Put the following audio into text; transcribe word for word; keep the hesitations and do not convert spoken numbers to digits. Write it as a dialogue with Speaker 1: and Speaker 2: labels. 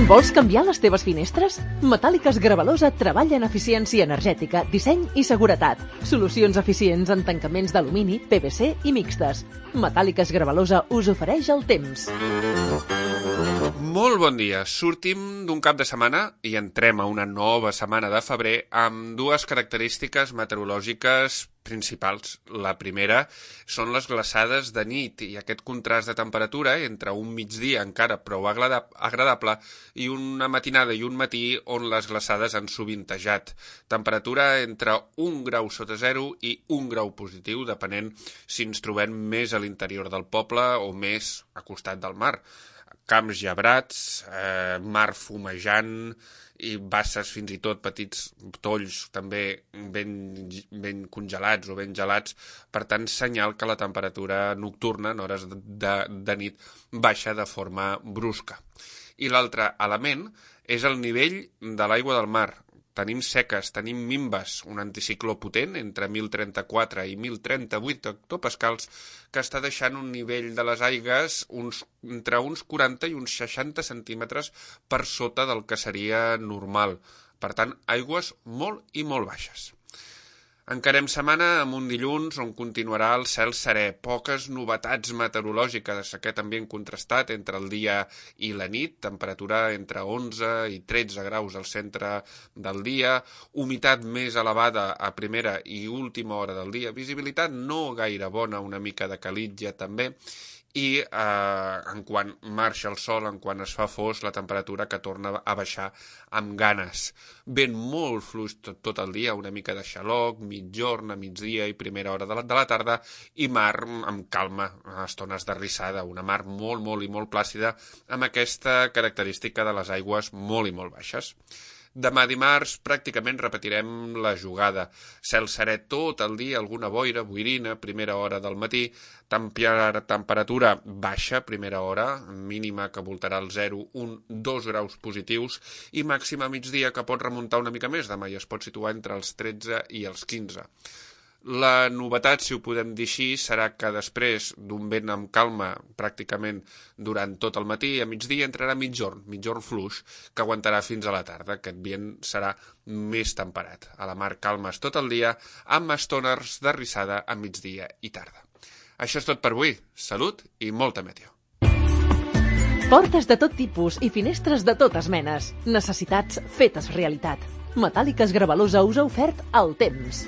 Speaker 1: Vols canviar les teves finestres? Metàl·liques Gravalosa treballa en eficiència energètica, disseny i seguretat. Solucions eficients en tancaments d'alumini, P V C i mixtes. Metàl·liques Gravalosa us ofereix el temps.
Speaker 2: Molt bon dia. Sortim d'un cap de setmana i entrem a una nova setmana de febrer amb dues característiques meteorològiques principals. La primera són les glaçades de nit i aquest contrast de temperatura entre un migdia encara prou agradable i una matinada i un matí on les glaçades han sovintejat. Temperatura entre un grau sota zero i un grau positiu, depenent si ens trobem més a l'interior del poble o més a costat del mar. Camps gebrats, eh, mar fumejant i basses, fins i tot petits tolls també ben, ben congelats o ben gelats, per tant senyal que la temperatura nocturna en hores de, de nit baixa de forma brusca. I l'altre element és el nivell de l'aigua del mar. Tenim seques, tenim mimbes, un anticicló potent entre mil trenta-quatre i mil trenta-vuit hectopascals que està deixant un nivell de les aigues uns, entre uns quaranta i uns seixanta centímetres per sota del que seria normal. Per tant, aigües molt i molt baixes. Encarem setmana amb un dilluns on continuarà el cel serè, poques novetats meteorològiques, aquest ambient contrastat entre el dia i la nit, temperatura entre onze i tretze graus al centre del dia, humitat més elevada a primera i última hora del dia, visibilitat no gaire bona, una mica de calitja també, i eh, en quan marxa el sol, en quan es fa fos, la temperatura que torna a baixar amb ganes. Vent molt fluix tot, tot el dia, una mica de xaloc, mitjorn, a migdia i primera hora de la, de la tarda, i mar amb calma, a estones de rissada, una mar molt, molt i molt plàcida, amb aquesta característica de les aigües molt i molt baixes. Demà dimarts pràcticament repetirem la jugada. Cel serè tot el dia, alguna boira, boirina, primera hora del matí, temperatura baixa, primera hora, mínima que voltarà el zero, un, dos graus positius, i màxima a migdia que pot remuntar una mica més, demà i es pot situar entre els tretze i els quinze. La novetat, si ho podem dir així, serà que després d'un vent amb calma pràcticament durant tot el matí, a migdia entrarà mitjorn, mitjorn fluix, que aguantarà fins a la tarda. Aquest vent serà més temperat. A la mar calmes tot el dia, amb estones de rissada a migdia i tarda. Això és tot per avui. Salut i molta meteo.
Speaker 1: Portes de tot tipus i finestres de totes menes. Necessitats fetes realitat. Metàl·liques Gravalosa us ha ofert el temps.